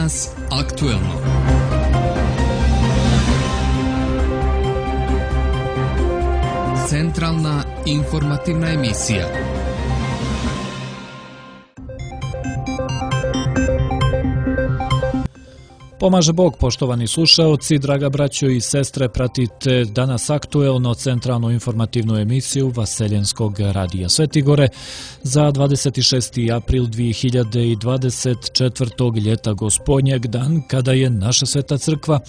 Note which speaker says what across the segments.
Speaker 1: Danas aktuelno. Centralna informativna emisija.
Speaker 2: Pomaže Bog, poštovani slušaoci, draga braćo i sestre, pratite Danas aktuelno, centralnu informativnu emisiju Vaseljenskog radija Svetigore za 26. april 2024. ljeta gospodnjeg, dan kada je naša sveta crkva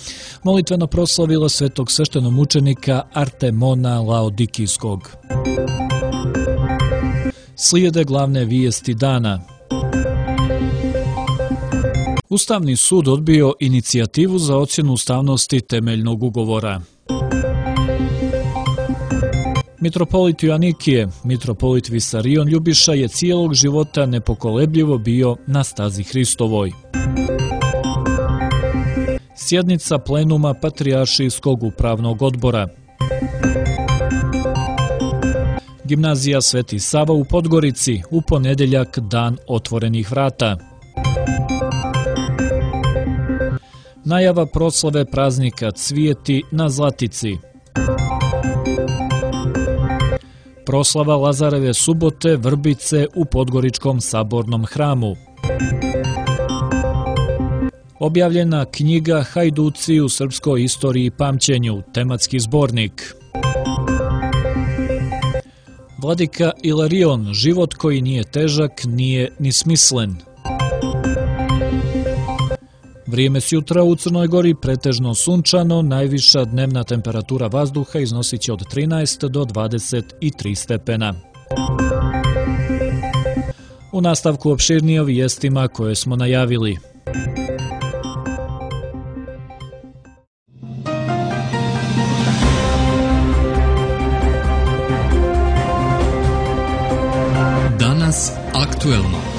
Speaker 2: molitveno proslavila svetog sveštenomučenika Artemona Laodikijskog. Slijede glavne vijesti dana. Ustavni sud odbio inicijativu za ocjenu ustavnosti temeljnog ugovora. Mitropolit Joanikije, mitropolit Visarion Ljubiša je cijelog života nepokolebljivo bio na stazi Hristovoj. Sjednica plenuma Patrijaršijskog upravnog odbora. Gimnazija Sveti Sava u Podgorici, u ponedjeljak dan otvorenih vrata. Najava proslave praznika Cvijeti na Zlatici. Proslava Lazareve subote Vrbice u Podgoričkom sabornom hramu. Objavljena knjiga Hajduci u srpskoj istoriji i pamćenju, tematski zbornik. Vladika Ilarion, život koji nije težak, nije ni smislen. Vrijeme s jutra u Crnoj Gori pretežno sunčano, najviša dnevna temperatura vazduha iznosit će od 13 do 23 stepena. U nastavku opširnije o vijestima koje smo najavili.
Speaker 1: Danas aktuelno.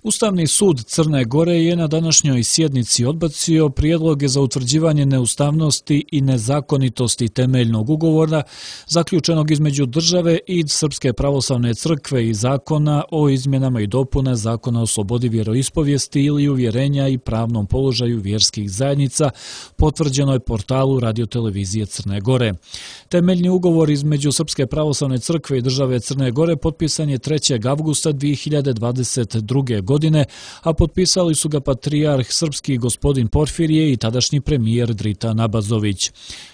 Speaker 2: Ustavni sud Crne Gore je na današnjoj sjednici odbacio prijedloge za utvrđivanje neustavnosti i nezakonitosti temeljnog ugovora zaključenog između države i Srpske pravoslavne crkve i zakona o izmjenama i dopuna Zakona o slobodi vjeroispovijesti ili uvjerenja i pravnom položaju vjerskih zajednica, potvrđenoj portalu radiotelevizije Crne Gore. Temeljni ugovor između Srpske pravoslavne crkve i države Crne Gore potpisan je 3. avgusta 2022. godine, a potpisali su ga patrijarh srpski gospodin Porfirije i tadašnji premijer Dritan Abazović.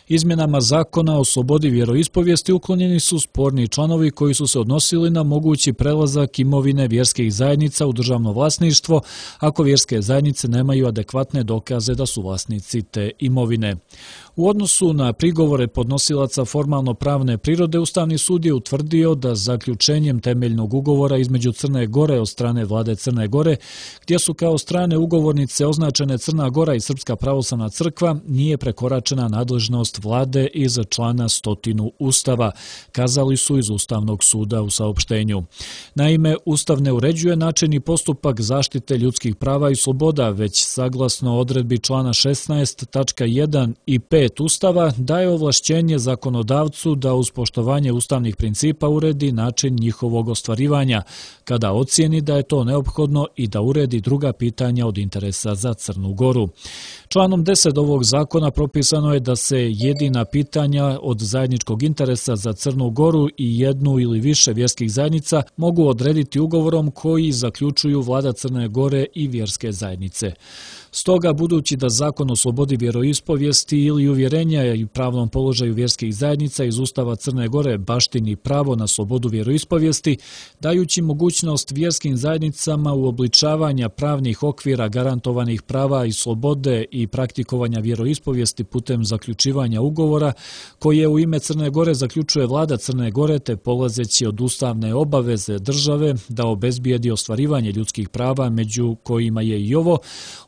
Speaker 2: Izmjenama Zakona o slobodi vjeroispovijesti uklonjeni su sporni članovi koji su se odnosili na mogući prelazak imovine vjerskih zajednica u državno vlasništvo ako vjerske zajednice nemaju adekvatne dokaze da su vlasnici te imovine. U odnosu na prigovore podnosilaca formalno pravne prirode, Ustavni sud je utvrdio da zaključenjem temeljnog ugovora između Crne Gore od strane vlade Crne Gore, gdje su kao strane ugovornice označene Crna Gora i Srpska pravoslavna crkva, nije prekoračena nadležnost vlade iz člana 100 Ustava, kazali su iz Ustavnog suda u saopštenju. Naime, Ustav ne uređuje način i postupak zaštite ljudskih prava i sloboda, već saglasno odredbi člana 16 tačka 1 i 5 Ustava daje ovlašćenje zakonodavcu da uz poštovanje ustavnih principa uredi način njihovog ostvarivanja, kada ocijeni da je to neophodno i da uredi druga pitanja od interesa za Crnu Goru. Članom 10 ovog zakona propisano je da se jedina pitanja od zajedničkog interesa za Crnu Goru i jednu ili više vjerskih zajednica mogu odrediti ugovorom koji zaključuju vlada Crne Gore i vjerske zajednice. Stoga, budući da Zakon o slobodi vjeroispovijesti ili uvjerenja i pravnom položaju vjerskih zajednica iz Ustava Crne Gore baštini pravo na slobodu vjeroispovijesti, dajući mogućnost vjerskim zajednicama uobličavanja pravnih okvira garantovanih prava i slobode i praktikovanja vjeroispovijesti putem zaključivanja ugovora, koje u ime Crne Gore zaključuje vlada Crne Gore, te polazeći od ustavne obaveze države da obezbijedi ostvarivanje ljudskih prava, među kojima je i ovo,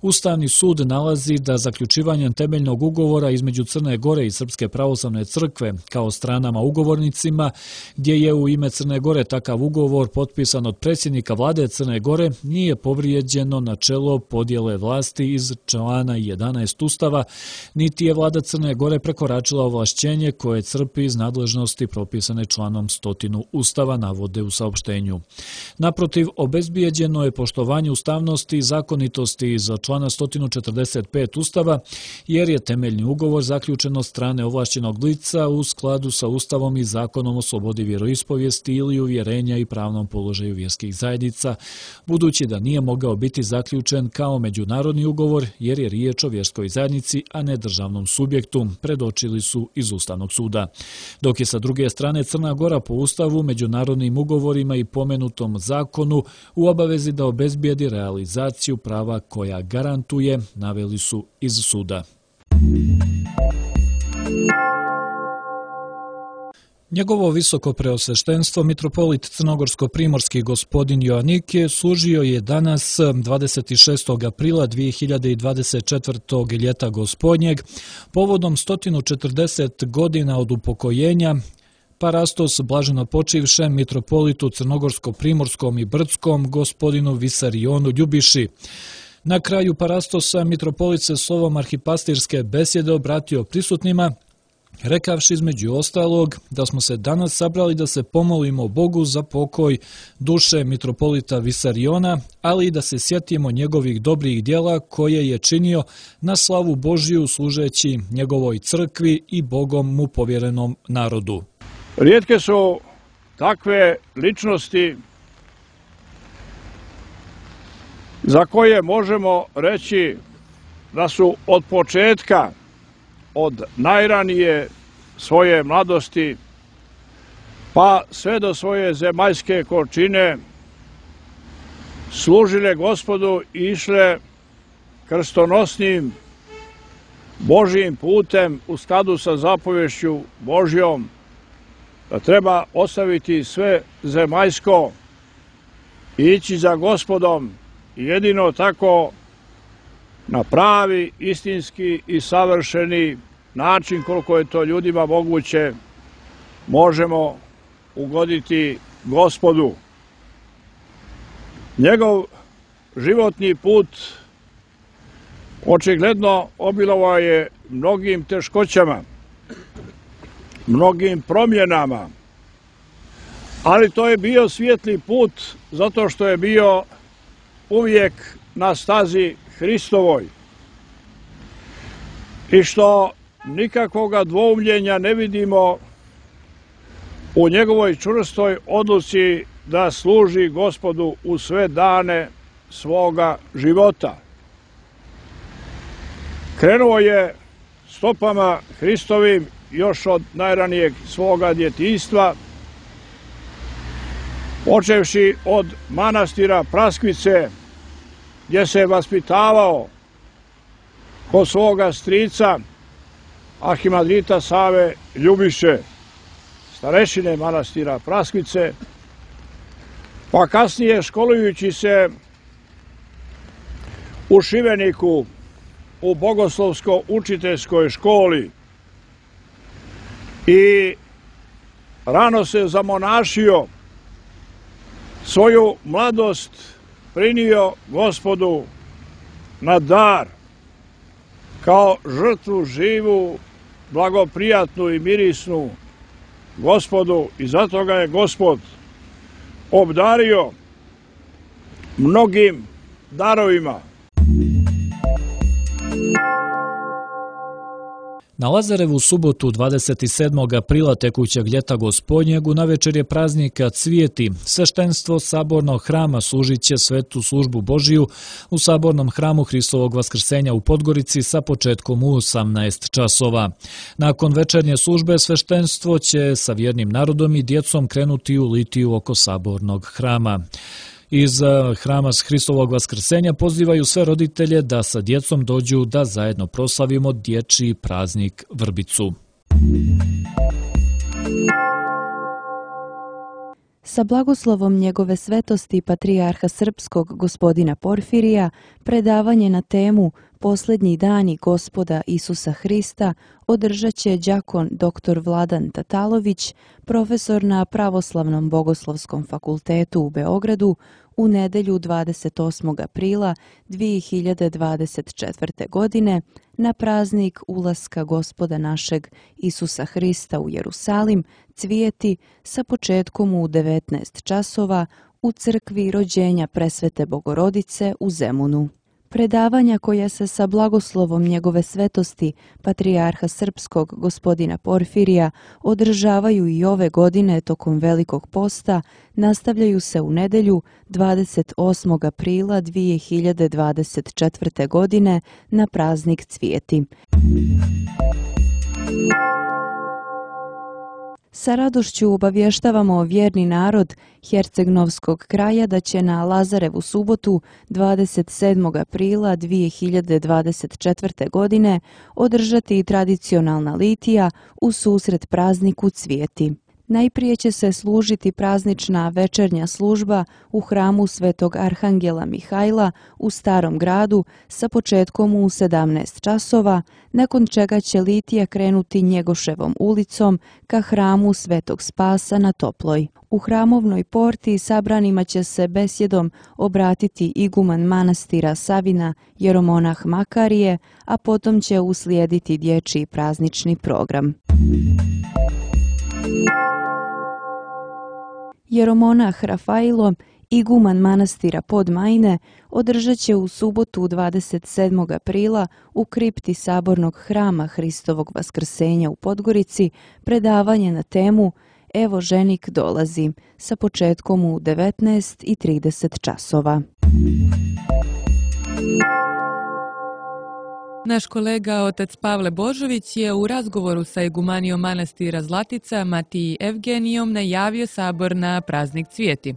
Speaker 2: Ustavni Ustavni sud nalazi da zaključivanjem temeljnog ugovora između Crne Gore i Srpske pravoslavne crkve kao stranama ugovornicima, gdje je u ime Crne Gore takav ugovor potpisan od predsjednika vlade Crne Gore, nije povrijeđeno načelo podjele vlasti iz člana 11 Ustava, niti je vlada Crne Gore prekoračila ovlašćenje koje crpi iz nadležnosti propisane članom 100 Ustava, navode u saopštenju. Naprotiv, obezbijeđeno je poštovanje ustavnosti i zakonitosti iz člana 145 Ustava, jer je temeljni ugovor zaključen od strane ovlašćenog lica u skladu sa Ustavom i Zakonom o slobodi vjeroispovijesti ili uvjerenja i pravnom položaju vjerskih zajednica, budući da nije mogao biti zaključen kao međunarodni ugovor jer je riječ o vjerskoj zajednici, a ne državnom subjektu, predočili su iz Ustavnog suda. Dok je sa druge strane Crna Gora po Ustavu, međunarodnim ugovorima i pomenutom zakonu u obavezi da obezbijedi realizaciju prava koja garantuje, naveli su iz suda. Njegovo visoko preosveštenstvo, mitropolit crnogorsko-primorski gospodin Joanike, služio je danas 26. aprila 2024. ljeta gospodnjeg, povodom 140 godina od upokojenja Parastos blaženopočivšem mitropolitu crnogorsko-primorskom i brdskom gospodinu Visarionu Ljubiši. Na kraju Parastosa mitropolit se slovom arhipastirske besjede obratio prisutnima, rekavši između ostalog da smo se danas sabrali da se pomolimo Bogu za pokoj duše mitropolita Visariona, ali i da se sjetimo njegovih dobrih djela koje je činio na slavu Božiju služeći njegovoj crkvi i Bogom mu povjerenom narodu.
Speaker 3: Rijetke su takve ličnosti za koje možemo reći da su od početka, od najranije svoje mladosti pa sve do svoje zemaljske končine služile Gospodu i išle krstonosnim Božjim putem u skladu sa zapovješću Božjom, da treba ostaviti sve zemaljsko i ići za Gospodom i jedino tako na pravi, istinski i savršeni način, koliko je to ljudima moguće, možemo ugoditi Gospodu. Njegov životni put očigledno obilovao je mnogim teškoćama, mnogim promjenama, ali to je bio svijetli put zato što je bio uvijek na stazi Hristovoj i što nikakvoga dvoumljenja ne vidimo u njegovoj čvrstoj odluci da služi Gospodu u sve dane svoga života. Krenuo je stopama Hristovim još od najranijeg svoga djetinjstva, počevši od manastira Praskvice, gdje se je vaspitavao kod svoga strica arhimandrita Save Ljubiše, starešine manastira Praskvice, pa kasnije školujući se u Šibeniku u bogoslovsko-učiteljskoj školi i rano se zamonašio, svoju mladost prinio Gospodu na dar, kao žrtvu živu, blagoprijatnu i mirisnu Gospodu, i zato ga je Gospod obdario mnogim darovima.
Speaker 2: Na Lazarevu subotu 27. aprila tekućeg ljeta gospodnjeg u navečer je praznika Cvijeti. Sveštenstvo sabornog hrama služit će svetu službu Božiju u sabornom hramu Hristovog vaskrsenja u Podgorici sa početkom u 18 časova. Nakon večernje službe sveštenstvo će sa vjernim narodom i djecom krenuti u litiju oko sabornog hrama. Iz hrama Hristovog vaskrsenja pozivaju sve roditelje da sa djecom dođu da zajedno proslavimo dječji praznik Vrbicu.
Speaker 4: Sa blagoslovom njegove svetosti patrijarha srpskog gospodina Porfirija, predavanje na temu Posljednji dani Gospoda Isusa Hrista održat će đakon dr. Vladan Tatalović, profesor na Pravoslavnom bogoslovskom fakultetu u Beogradu, u nedjelju 28. aprila 2024. godine na praznik ulaska Gospoda našeg Isusa Hrista u Jerusalim cvijeti sa početkom u 19 časova u crkvi rođenja Presvete Bogorodice u Zemunu. Predavanja koja se sa blagoslovom njegove svetosti, patrijarha srpskog gospodina Porfirija, održavaju i ove godine tokom Velikog posta, nastavljaju se u nedjelju 28. aprila 2024. godine na praznik cvijeti. Sa radošću obavještavamo vjerni narod Hercegnovskog kraja da će na Lazarevu subotu 27. aprila 2024. godine održati tradicionalna litija u susret prazniku cvijeti. Najprije će se služiti praznična večernja služba u hramu Svetog Arhangela Mihajla u Starom gradu sa početkom u 17 časova, nakon čega će litija krenuti Njegoševom ulicom ka hramu Svetog Spasa na Toploj. U hramovnoj porti sabranima će se besjedom obratiti iguman manastira Savina jeromonah Makarije, a potom će uslijediti dječji praznični program. Jeromonah Rafailo, iguman manastira Podmajne, održat će u subotu 27. aprila u kripti Sabornog hrama Hristovog Vaskrsenja u Podgorici predavanje na temu Evo ženik dolazi sa početkom u 19:30 časova.
Speaker 5: Naš kolega otac Pavle Božović je u razgovoru sa igumanijom manastira Zlatica Matiji Evgenijom najavio sabor na praznik cvijeti.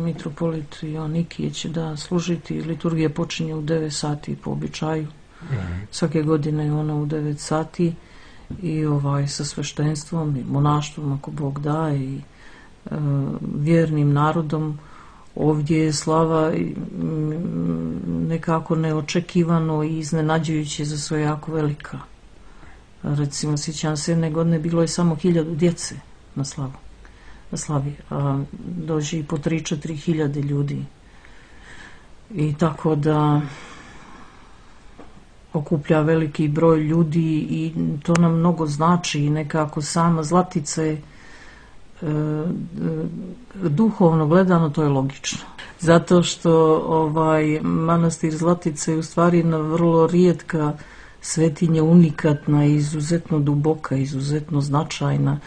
Speaker 6: Mitropolit Joannikije će da služiti, liturgija počinje u 9 sati po običaju. Svake godine je ona u 9 sati i sa sveštenstvom i monaštvom ako Bog da i vjernim narodom. Ovdje je slava nekako neočekivano i iznenađujuće za sve jako velika. Recimo, sjećam se, jedne godine bilo je samo 1000 djece na slavi, a dođe i po 3-4 hiljade ljudi. I tako da okuplja veliki broj ljudi i to nam mnogo znači i nekako sama Zlatica je duhovno gledano to je logično. Zato što manastir Zlatice je u stvari jedna vrlo rijetka svetinja, unikatna, izuzetno duboka, izuzetno značajna,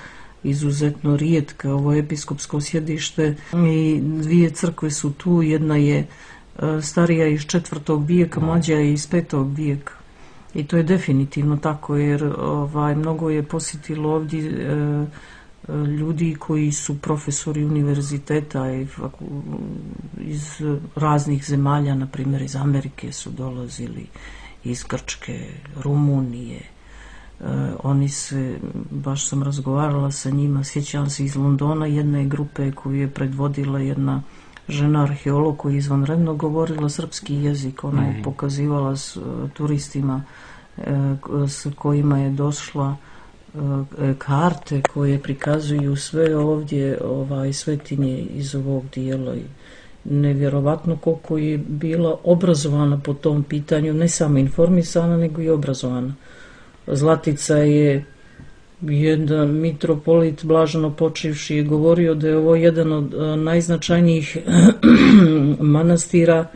Speaker 6: izuzetno rijetka. Ovo je episkopsko sjedište i 2 crkve su tu. Jedna je starija iz 4. vijeka, mlađa je iz 5. vijeka. I to je definitivno tako jer mnogo je posjetilo ovdje ljudi koji su profesori univerziteta iz raznih zemalja, na primjer iz Amerike su dolazili, iz Grčke, Rumunije. Oni se, baš sam razgovarala sa njima, sjećam se iz Londona jedne grupe koju je predvodila jedna žena arheolog koja je izvanredno govorila srpski jezik. Ona je pokazivala s turistima s kojima je došla karte koje prikazuju sve ovdje svetinje iz ovog dijela. Nevjerovatno koliko je bila obrazovana po tom pitanju, ne samo informisana nego i obrazovana. Zlatica je jedan mitropolit blaženo počivši je govorio da je ovo jedan od najznačajnijih manastira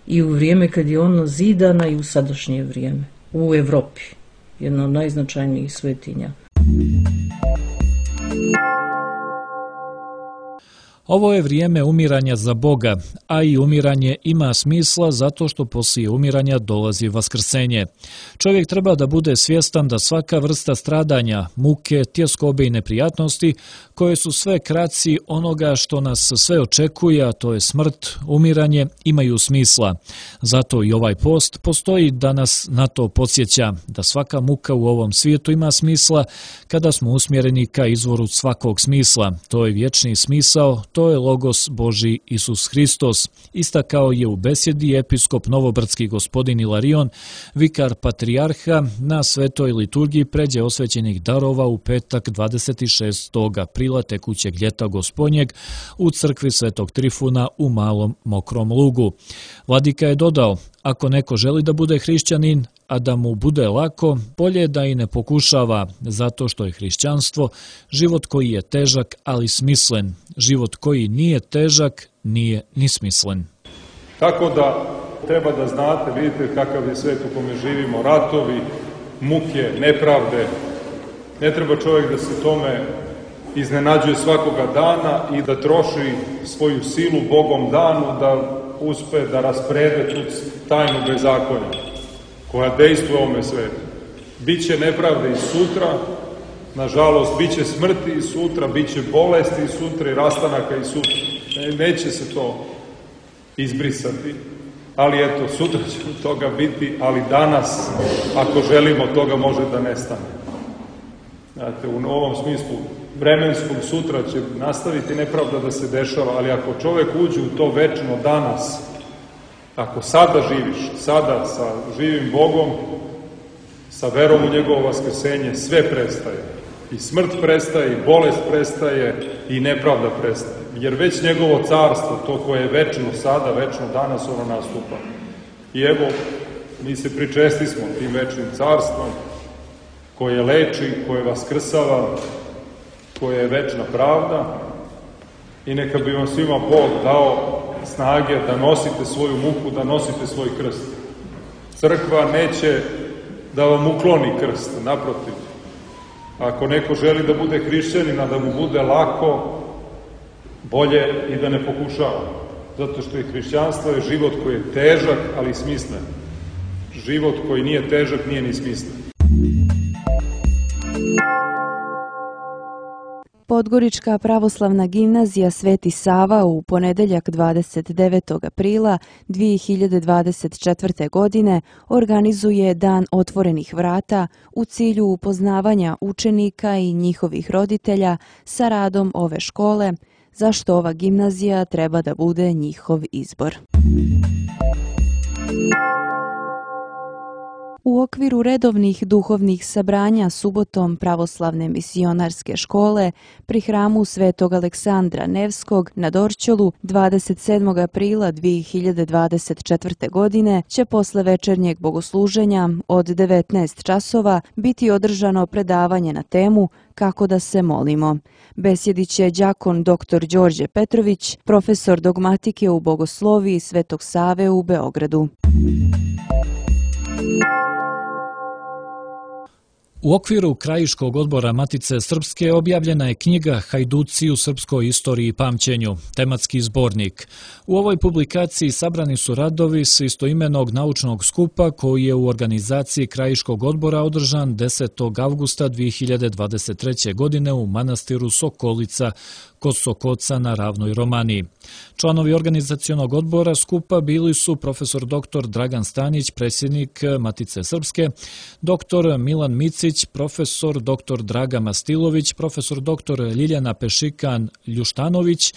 Speaker 6: i u vrijeme kad je ona zidana i u sadašnje vrijeme u Evropi. Jedna od najznačajnijih svetinja.
Speaker 2: Ovo je vrijeme umiranja za Boga, a i umiranje ima smisla zato što poslije umiranja dolazi vaskrsenje. Čovjek treba da bude svjestan da svaka vrsta stradanja, muke, tjeskobe i neprijatnosti, koje su sve kraci onoga što nas sve očekuje, a to je smrt, umiranje, imaju smisla. Zato i ovaj post postoji da nas na to podsjeća, da svaka muka u ovom svijetu ima smisla kada smo usmjereni ka izvoru svakog smisla. To je vječni smisao, to je Logos Božji Isus Hristos. Istakao je u besjedi episkop Novobrdski gospodin Ilarion, vikar patrijarha na svetoj liturgiji pređe osvećenih darova u petak 26. aprila tekućeg ljeta gospodnjeg u crkvi Svetog Trifuna u Malom Mokrom Lugu. Vladika je dodao, ako neko želi da bude hrišćanin, a da mu bude lako, bolje da i ne pokušava, zato što je hrišćanstvo život koji je težak, ali smislen. Život koji nije težak, nije ni smislen.
Speaker 7: Tako da treba da znate, vidite kakav je svet u kome živimo, ratovi, muke, nepravde. Ne treba čovjek da se tome iznenađuje svakoga dana i da troši svoju silu Bogom danu da uspe da rasprede tu tajnu bezakonja koja dejstvuje u ovome svetu. Biće nepravde i sutra, nažalost, biće smrti i sutra, biće bolesti i sutra i rastanaka i sutra. Neće se to izbrisati, ali eto, sutra će toga biti, ali danas, ako želimo, toga može da nestane. Znate, u ovom smislu vremenskom sutra će nastaviti nepravda da se dešava, ali ako čovjek uđe u to večno danas, ako sada živiš, sada sa živim Bogom, sa verom u njegovo vaskrsenje, sve prestaje. I smrt prestaje, i bolest prestaje, i nepravda prestaje. Jer već njegovo carstvo, to koje je večno sada, večno danas, ono nastupa. I evo, mi se pričesti smo tim večnim carstvom, koje leči, koje vaskrsava, koje je večna pravda. I neka bi vam svima Bog dao snage da nosite svoju muku, da nosite svoj krst. Crkva neće da vam ukloni krst, naprotiv. Ako neko želi da bude hrišćanin, a da mu bude lako, bolje i da ne pokušava. Zato što je hrišćanstvo je život koji je težak, ali smislen. Život koji nije težak, nije ni smislen.
Speaker 4: Podgorička pravoslavna gimnazija Sveti Sava u ponedeljak 29. aprila 2024. godine organizuje Dan otvorenih vrata u cilju upoznavanja učenika i njihovih roditelja sa radom ove škole, zašto ova gimnazija treba da bude njihov izbor. U okviru redovnih duhovnih sabranja subotom pravoslavne misionarske škole pri hramu Svetog Aleksandra Nevskog na Dorćolu 27. aprila 2024. godine će posle večernjeg bogosluženja od 19 časova biti održano predavanje na temu Kako da se molimo. Besjedit će đakon dr. Đorđe Petrović, profesor dogmatike u bogosloviji Svetog Save u Beogradu.
Speaker 2: U okviru Krajiškog odbora Matice Srpske objavljena je knjiga Hajduci u srpskoj istoriji i pamćenju, tematski zbornik. U ovoj publikaciji sabrani su radovi s istoimenog naučnog skupa koji je u organizaciji Krajiškog odbora održan 10. avgusta 2023. godine u manastiru Sokolica kod Sokoca na Ravnoj Romaniji. Članovi organizacionog odbora skupa bili su profesor dr. Dragan Stanić, predsjednik Matice Srpske, dr. Milan Micić, profesor dr. Draga Mastilović, profesor dr. Ljiljana Pešikan Ljuštanović,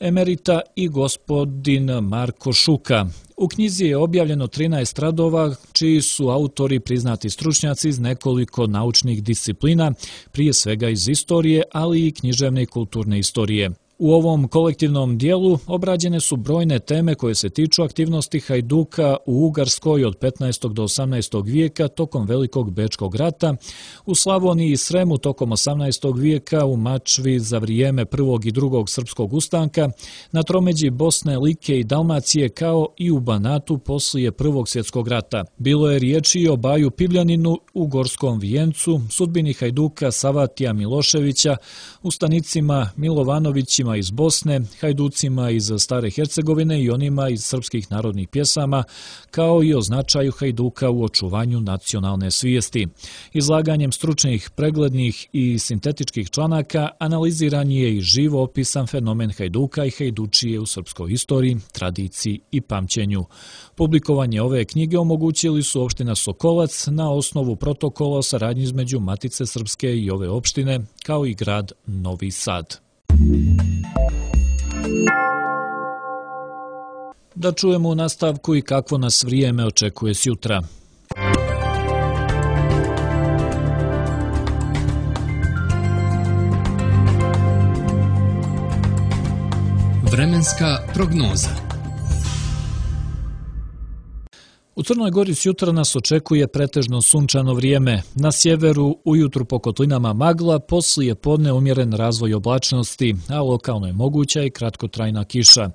Speaker 2: emerita i gospodin Marko Šuka. U knjizi je objavljeno 13 radova, čiji su autori priznati stručnjaci iz nekoliko naučnih disciplina, prije svega iz istorije, ali i književne i kulturne istorije. U ovom kolektivnom dijelu obrađene su brojne teme koje se tiču aktivnosti Hajduka u Ugarskoj od 15. do 18. vijeka tokom Velikog Bečkog rata, u Slavoniji i Sremu tokom 18. vijeka, u Mačvi za vrijeme prvog i drugog srpskog ustanka, na tromeđi Bosne, Like i Dalmacije kao i u Banatu poslije Prvog svjetskog rata. Bilo je riječi o Baju Pibljaninu u Gorskom Vijencu, sudbini Hajduka Savatija Miloševića, ustanicima Milovanovićima iz Bosne, Hajducima iz Stare Hercegovine i onima iz srpskih narodnih pjesama, kao i o značaju Hajduka u očuvanju nacionalne svijesti. Izlaganjem stručnih, preglednih i sintetičkih članaka analiziran je i živo opisan fenomen Hajduka i Hajdučije u srpskoj istoriji, tradiciji i pamćenju. Publikovanje ove knjige omogućili su opština Sokolac na osnovu protokola o saradnji između Matice Srpske i ove opštine, kao i grad Novi Sad. Da čujemo u nastavku i kakvo nas vrijeme očekuje sjutra.
Speaker 1: Vremenska prognoza.
Speaker 2: U Crnoj Gori sjutra nas očekuje pretežno sunčano vrijeme. Na sjeveru ujutru po kotlinama magla, poslije podne umjeren razvoj oblačnosti, a lokalno je moguća i kratkotrajna kiša.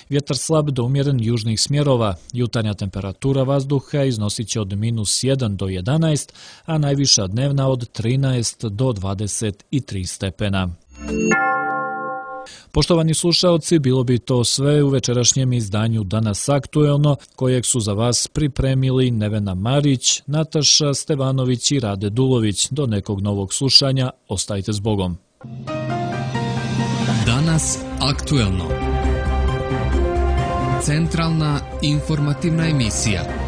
Speaker 2: Vjetar slab do umjeren južnih smjerova. Jutarnja temperatura vazduha iznosit će od -1 do 11, a najviša dnevna od 13 do 23 stepena. Poštovani slušaoci, bilo bi to sve u večerašnjem izdanju Danas aktuelno, kojeg su za vas pripremili Nevena Marić, Nataša Stevanović i Rade Dulović. Do nekog novog slušanja, ostajte s Bogom.
Speaker 1: Danas aktuelno. Centralna informativna emisija.